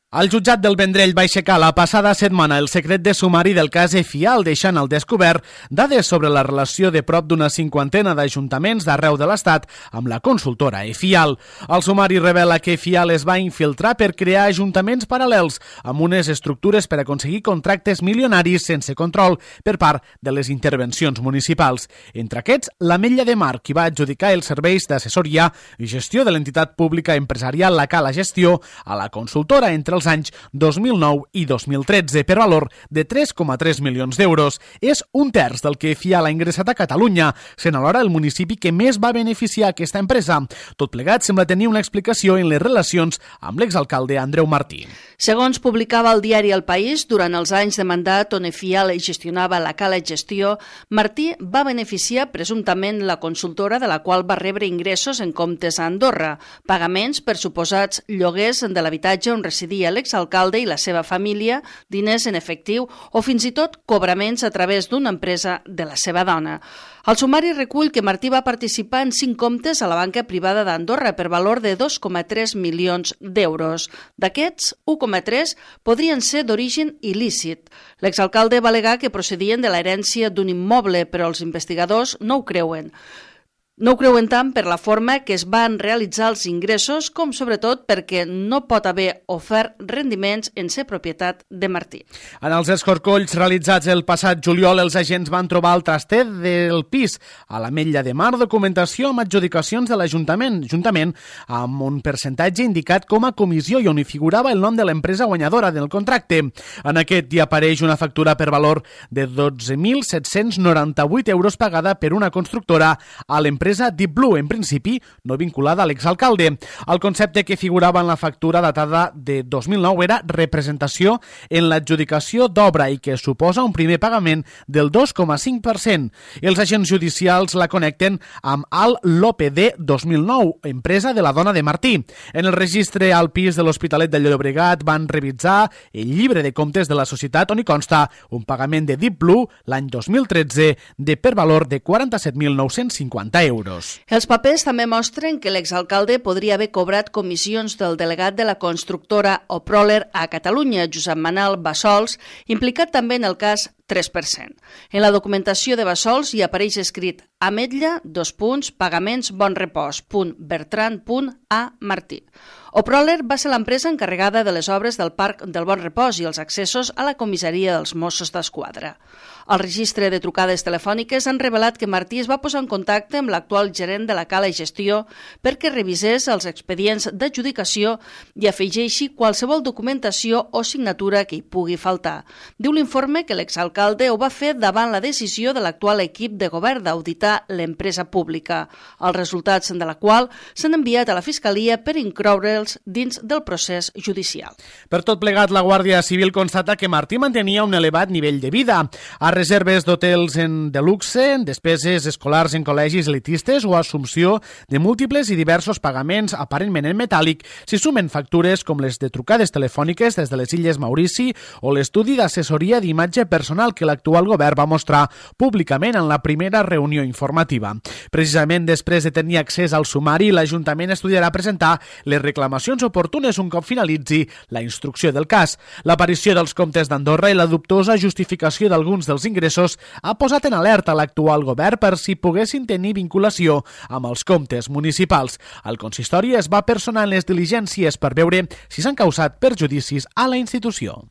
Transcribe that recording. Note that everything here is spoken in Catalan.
El jutjat del Vendrell va aixecar la passada setmana el secret de sumari del cas EFIAL, deixant al descobert dades sobre la relació de prop d'una cinquantena d'ajuntaments d'arreu de l'Estat amb la consultora EFIAL. El sumari revela que EFIAL es va infiltrar per crear ajuntaments paral·lels amb unes estructures per aconseguir contractes milionaris sense control per part de les intervencions municipals. Entre aquests, l'Ametlla de Mar, qui va adjudicar els serveis d'assessoria i gestió de l'entitat pública empresarial La Cala Gestió a la consultora entre els anys 2009 i 2013 per valor de 3,3 milions d'euros. És un terç del que EFIAL ha ingressat a Catalunya, sent alhora el municipi que més va beneficiar aquesta empresa. Tot plegat sembla tenir una explicació en les relacions amb l'exalcalde Andreu Martí. Segons publicava el diari El País, durant els anys de mandat on EFIAL gestionava La Cala Gestió, Martí va beneficiar presumptament la consultora de la qual va rebre ingressos en comptes a Andorra, pagaments per suposats lloguers de l'habitatge on residia l'exalcalde i la seva família, diners en efectiu o fins i tot cobraments a través d'una empresa de la seva dona. El sumari recull que Martí va participar en 5 comptes a la banca privada d'Andorra per valor de 2,3 milions d'euros. D'aquests, 1,3 podrien ser d'origen il·lícit. L'exalcalde va al·legar que procedien de l'herència d'un immoble, però els investigadors no ho creuen. No ho creuen tant per la forma que es van realitzar els ingressos com sobretot perquè no pot haver ofert rendiments en ser propietat de Martí. En els escorcolls realitzats el passat juliol, els agents van trobar el traster del pis a l'Ametlla de Mar, documentació amb adjudicacions de l'Ajuntament, juntament amb un percentatge indicat com a comissió i on hi figurava el nom de l'empresa guanyadora del contracte. En aquest hi apareix una factura per valor de 12.798 euros pagada per una constructora a l'empresa Deep Blue, en principi no vinculada a l'exalcalde. El concepte que figurava en la factura datada de 2009 era representació en l'adjudicació d'obra i que suposa un primer pagament del 2,5%. Els agents judicials la connecten amb Al Lope de 2009, empresa de la dona de Martí. En el registre al pis de l'Hospitalet de Llobregat van revisar el llibre de comptes de la societat on hi consta un pagament de Deep Blue l'any 2013 per valor de 47.950 euros. Els papers també mostren que l'exalcalde podria haver cobrat comissions del delegat de la constructora Oproler a Catalunya, Josep Manel Bassols, implicat també en el cas 3%. En la documentació de Bassols hi apareix escrit Ametlla, pagaments Bonrepòs, Bertran, A. Martí. Oproler va ser l'empresa encarregada de les obres del Parc del Bon Repòs i els accessos a la comissaria dels Mossos d'Esquadra. El registre de trucades telefòniques han revelat que Martí es va posar en contacte amb l'actual gerent de la Cala Gestió perquè revisés els expedients d'adjudicació i afegeixi qualsevol documentació o signatura que hi pugui faltar. Diu l'informe que l'exalcalde ho va fer davant la decisió de l'actual equip de govern d'auditar l'empresa pública, els resultats de la qual s'han enviat a la Fiscalia per incloure'ls dins del procés judicial. Per tot plegat, la Guàrdia Civil constata que Martí mantenia un elevat nivell de vida. A reserves d'hotels de luxe, despeses escolars en col·legis elitistes o assumpció de múltiples i diversos pagaments aparentment en metàl·lic s'hi sumen factures com les de trucades telefòniques des de les Illes Maurici o l'estudi d'assessoria d'imatge personal que l'actual govern va mostrar públicament en la primera reunió informativa. Precisament després de tenir accés al sumari, l'Ajuntament estudiarà presentar les reclamacions oportunes un cop finalitzi la instrucció del cas. L'aparició dels comptes d'Andorra i la dubtosa justificació d'alguns dels ingressos ha posat en alerta l'actual govern per si poguessin tenir vinculació amb els comptes municipals. El consistori es va personar en les diligències per veure si s'han causat perjudicis a la institució.